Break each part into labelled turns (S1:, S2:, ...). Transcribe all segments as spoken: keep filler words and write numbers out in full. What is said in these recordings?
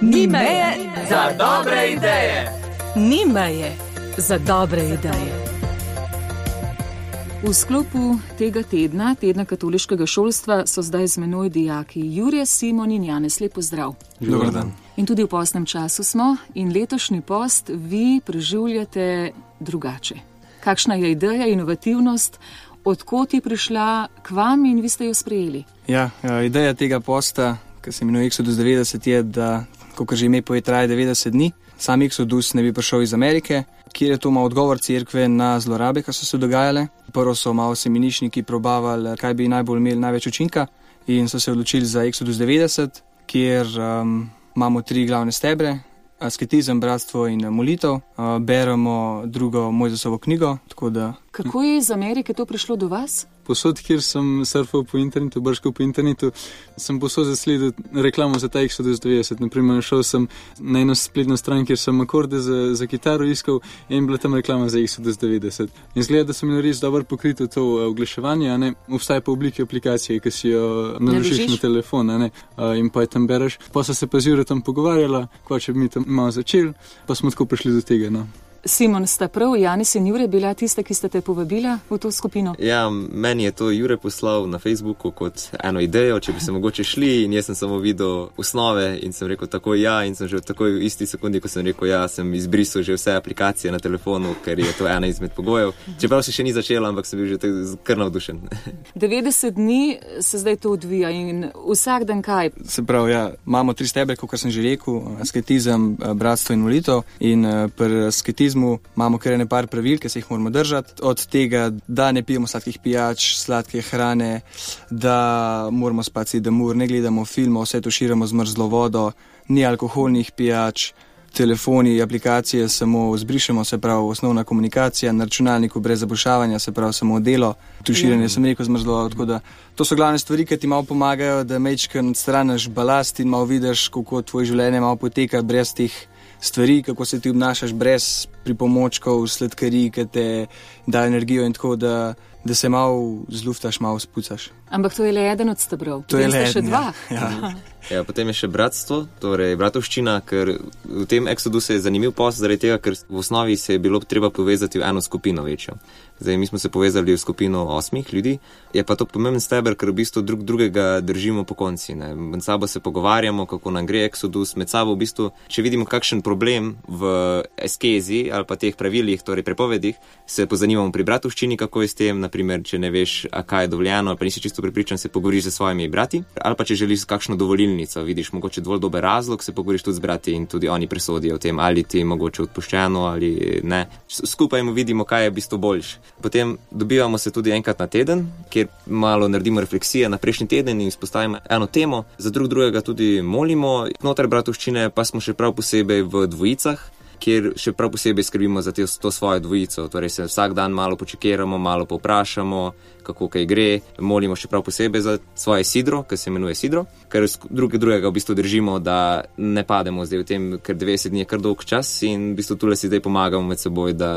S1: Ni meje
S2: za dobre ideje.
S1: Ni meje za dobre ideje. V sklopu tega tedna, tedna katoliškega šolstva, so zdaj z menoj dijaki Jure, Simon in Janez. Lep pozdrav.
S3: Dobar dan.
S1: In tudi v postnem času smo in letošnji post vi preživljate drugače. Kakšna je ideja, inovativnost, odkot je prišla k vam in vi ste jo sprejeli?
S3: Ja, ideja tega posta, ki se imenuje Exodus devetdeset, je, da, kakor že ime poje, traje devetdeset dni. Sam Exodus ne bi prišel iz Amerike, kjer je to malo odgovor cerkve na zlorabe, ki so se dogajale. Prvo so malo semeničniki probavali, kaj bi najbolj imeli največ učinka, in so se odločili za Exodus devetdeset, kjer um, imamo tri glavne stebre: asketizem, bratstvo in molitev. Uh, beremo drugo Mojzesovo knjigo. Tako da...
S1: Kako je iz Amerike to prišlo do vas?
S4: Posod, kjer sem surfal po internetu, brškal po internetu, sem posod zasledil reklamo za ta Exodus devetdeset. Naprimer, šel sem na eno spletno stran, kjer sem akorde za, za kitaro iskal in bila tam reklama za Exodus devetdeset. In zgleda, da sem imel res dobro pokrito to oglaševanje, a ne, obstaja pa v obliki aplikacije, ki si jo naložiš na telefon, a ne, in pa je tam bereš. Pa so se pa z Jure tam pogovarjala, ko če bi mi tam malo začeli, pa smo tako prišli do tega, no.
S1: Simon, sta prav Janez in Jure bila tista, ki ste te povabila v to skupino?
S5: Ja, meni je to Jure poslal na Facebooku kot eno idejo, če bi se mogoče šli, in jaz sem samo videl osnove in sem rekel tako ja, in sem že v takoj v isti sekundi, ko sem rekel ja, sem izbrisal že vse aplikacije na telefonu, ker je to ena izmed pogojev. Čeprav se še ni začela, ampak sem bil že kar navdušen.
S1: devetdeset dni se zdaj to odvija in vsak dan kaj?
S3: Se pravi, ja, imamo tri stebre, kot sem že rekel: asketizem, bratstvo in molitev. In pri asketizmu imamo kar ene par pravil, ki se jih moramo držati. Od tega, da ne pijemo sladkih pijač, sladke hrane, da moramo spati sedem ur, ne gledamo filmov, vse tuširamo z mrzlo vodo, ni alkoholnih pijač, telefoni, aplikacije samo zbrišemo, se pravi osnovna komunikacija, na računalniku brez zabušavanja, se pravi samo delo, tuširanje, sem rekel, z mrzlo vodo. Tako da to so glavne stvari, ki ti malo pomagajo, da majčkeno odstraniš balast in malo vidiš, kako tvoje življenje malo poteka brez teh stvari, kako se ti obnašaš brez pripomočkov, sladkarij, ki te dajo energijo, in tako da, da se malo zluftaš, malo spucaš.
S1: Ampak to je le eden od stebrov.
S3: To je le
S1: še dva.
S3: Ja. Ja.
S5: Ja, potem je še bratstvo, torej bratovščina, ker v tem Exodusu je zanimiv post zaradi tega, ker v osnovi se je bilo treba povezati v eno skupino večjo. Zdaj, mi smo se povezali v skupino osmih ljudi, je pa to pomemben steber, ker v bistvu drug drugega držimo po konci, ne. Med sabo se pogovarjamo, kako nam gre Exodus, med sabo v bistvu, če vidimo kakšen problem v eskezi ali pa teh pravilih, torej prepovedih, se pozanimamo pri bratovščini, kako je s tem, naprimer, če ne veš, a kaj je dovoljeno, ali pa nisi čisto prepričan, se pogovoriš z svojimi brati, ali pa če želiš kakšno dovolilnico, vidiš mogoče dovolj dober razlog, se pogovoriš tudi z brati in tudi oni presodijo o tem, ali ti je mogoče odpuščeno ali ne. Skupaj vidimo, kaj je v bistvu boljše. Potem dobivamo se tudi enkrat na teden, kjer malo naredimo refleksije na prejšnji teden in izpostavimo eno temo, za drug drugega tudi molimo. Znotraj bratovščine pa smo še prav posebej v dvojicah, kjer še prav posebej skrbimo za to svojo dvojico. Torej se vsak dan malo počekiramo, malo povprašamo, kako kaj gre, molimo še prav posebej za svoje sidro, ki se imenuje sidro, ker drug drugega v bistvu držimo, da ne pademo zdaj v tem, ker devetdeset dni je kar dolg čas in v bistvu tule si zdaj pomagamo med seboj, da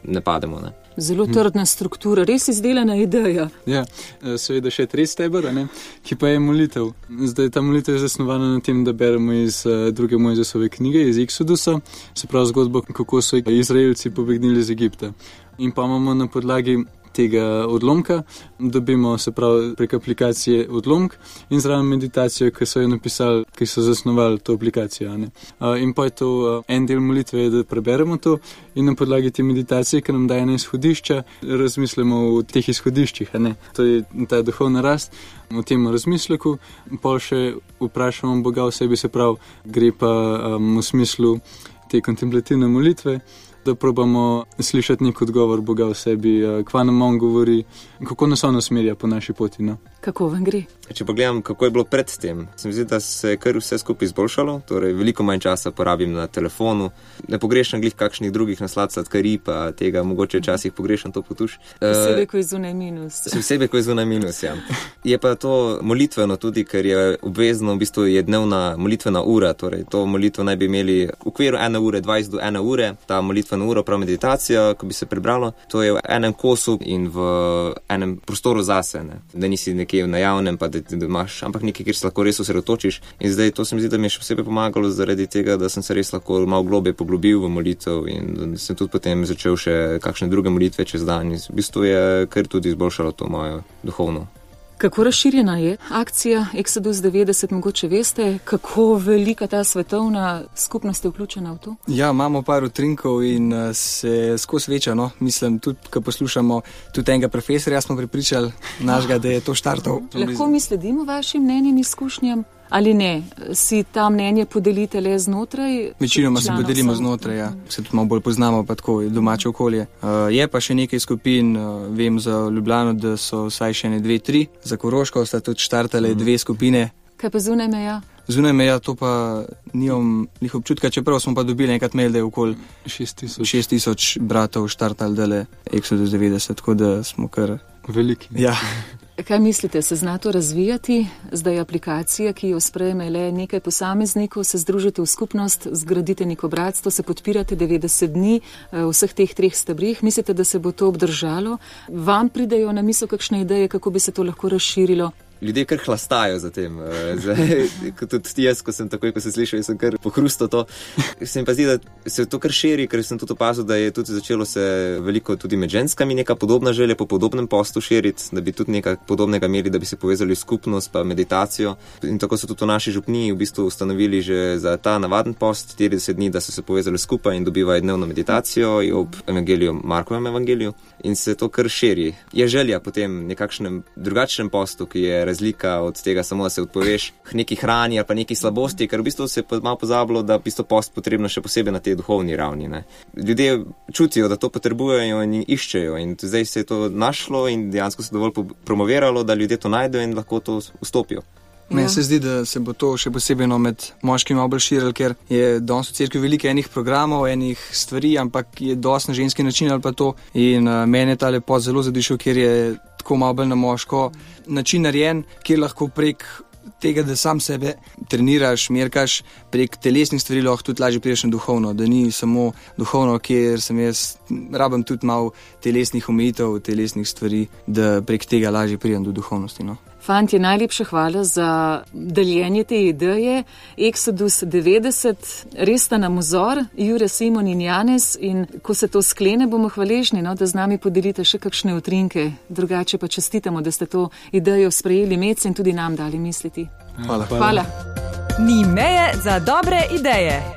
S5: ne pademo, ne.
S1: Zelo trdna struktura, res izdelana ideja.
S4: Ja, seveda še tretji steber, ne, ki pa je molitev. Zdaj, ta molitev je zasnovana na tem, da beremo iz uh, druge Mojzesove knjige, iz Exodusa, se pravi zgodbo, kako so Izraelci pobegnili iz Egipta. In pa imamo na podlagi tega odlomka, dobimo, se pravi, prek aplikacije odlomk in zraven meditacijo, ki so jo napisali, ki so zasnovali to aplikacijo, ne. Uh, in pa je to uh, en del molitve, da preberemo to in na podlagi te meditacije, ki nam daje ena izhodišča, razmislimo o teh izhodiščih, a ne. To je ta duhovna rast, o tem razmisleku, pol še vprašamo Boga v sebi, se pravi, gre pa um, v smislu te kontemplativne molitve, da probamo slišati nek odgovor Boga v sebi, kva nam on govori, kako nas on usmerja po naši poti, no.
S1: Kako vam gre?
S5: Če pogledam, kako je bilo pred tem, se mi zdi, da se je kar vse skupaj izboljšalo, torej veliko manj časa porabim na telefonu, ne pogrešam glih kakšnih drugih naslad sladkarij, pa tega mogoče včasih pogrešam to potuš.
S1: Posebej, ko je zunaj minus.
S5: Posebej, ko je zunaj minus, ja. Je pa to molitveno tudi, ker je obvezno, v bistvu je dnevna molitvena ura, torej to molitvo naj bi imeli v okviru ene ure, dvajset do ene ure, ta molitvena uro, prav meditacija, ko bi se prebralo, to je v enem kosu in v enem prostoru zase, ne. Da nisi nekje na javnem, pa da, da imaš, ampak nekaj, kjer se lahko res osredotočiš. In zdaj to se mi zdi, da mi je še posebej pomagalo zaradi tega, da sem se res lahko malo globje poglobil v molitev in sem tudi potem začel še kakšne druge molitve čez dan. In v bistvu je kar tudi izboljšalo to mojo duhovno.
S1: Kako razširjena je akcija Exodus devetdeset, mogoče veste, kako velika ta svetovna skupnost je vključena v to?
S3: Ja, imamo par utrinkov in se skozi veča, no. Mislim, tudi, ko poslušamo tudi enega profesorja, smo pripričali našega, da je to štartov.
S1: Lahko mi sledimo vašim mnenjem, izkušnjam? Ali ne, si ta mnenje podelite le znotraj?
S3: Večinoma se podelimo znotraj, ja. Se tudi malo bolj poznamo, pa tako domače okolje. Uh, je pa še nekaj skupin, uh, vem za Ljubljano, da so vsaj še ne dve, tri. Za Koroško sta tudi štartale mm. dve skupine.
S1: Kaj pa zunaj meja?
S3: Zunaj meja to pa nimam njih občutka, čeprav smo pa dobili enkrat mail, da je okoli šest tisoč bratov štartali dele Exodus devetdeset, tako da smo kar
S4: veliki.
S3: Ja.
S1: Kaj mislite, se zna to razvijati? Zdaj je aplikacija, ki jo sprejme le nekaj posameznikov, se združite v skupnost, zgradite neko bratstvo, se podpirate devetdeset dni v vseh teh treh stebrih. Mislite, da se bo to obdržalo? Vam pridejo na misel kakšne ideje, kako bi se to lahko razširilo?
S5: Ljudje kar hlastajo za tem. Zdaj, tudi jaz, ko sem takoj, ko sem slišal, sem kar pohrustal to. Se mi pa zdi, da se to kar širi, ker sem tudi opazil, da je tudi začelo se veliko tudi med ženskami neka podobna želja po podobnem postu širiti, da bi tudi nekaj podobnega imeli, da bi se povezali v skupnost pa meditacijo. In tako so tudi v naši župniji v bistvu ustanovili že za ta navaden post štirideset dni, da so se povezali skupaj in dobivajo dnevno meditacijo ob evangeliju, Markovem evangeliju. In se to kar širi. Je želja potem nekakšnem drugačnem postu, ki je razlika od tega samo, da se odpoveš neki hrani ali pa neki slabosti, ker v bistvu se je malo pozabilo, da v bistvu post potrebno še posebej na tej duhovni ravni. Ne. Ljudje čutijo, da to potrebujejo in iščejo in zdaj se je to našlo in dejansko se dovolj promoviralo, da ljudje to najdejo in lahko to vstopijo.
S3: Meni ja. se zdi, da se bo to še posebej no, med moškimi malo bolj širilo, ker je danes v cerkvi veliko enih programov, enih stvari, ampak je dosti na ženski način ali pa to. In uh, meni je ta lepot zelo zadišel, ker je tako malo bolj na moško način narejen, kjer lahko prek tega, da sam sebe treniraš, merkaš, prek telesnih stvari lahko tudi lažje prideš na duhovno, da ni samo duhovno, kjer sem jaz, rabim tudi malo telesnih omejitev, telesnih stvari, da prek tega lažje pridem do duhovnosti. No.
S1: Fantje, najlepša hvala za deljenje te ideje. Exodus devetdeset, res sta nam vzor, Jure, Simon in Janez, in ko se to sklene, bomo hvaležni, no, da z nami podelite še kakšne utrinke. Drugače pa čestitamo, da ste to idejo sprejeli medse in tudi nam dali misliti.
S3: Hvala.
S1: Hvala.
S2: Ni meje za dobre ideje.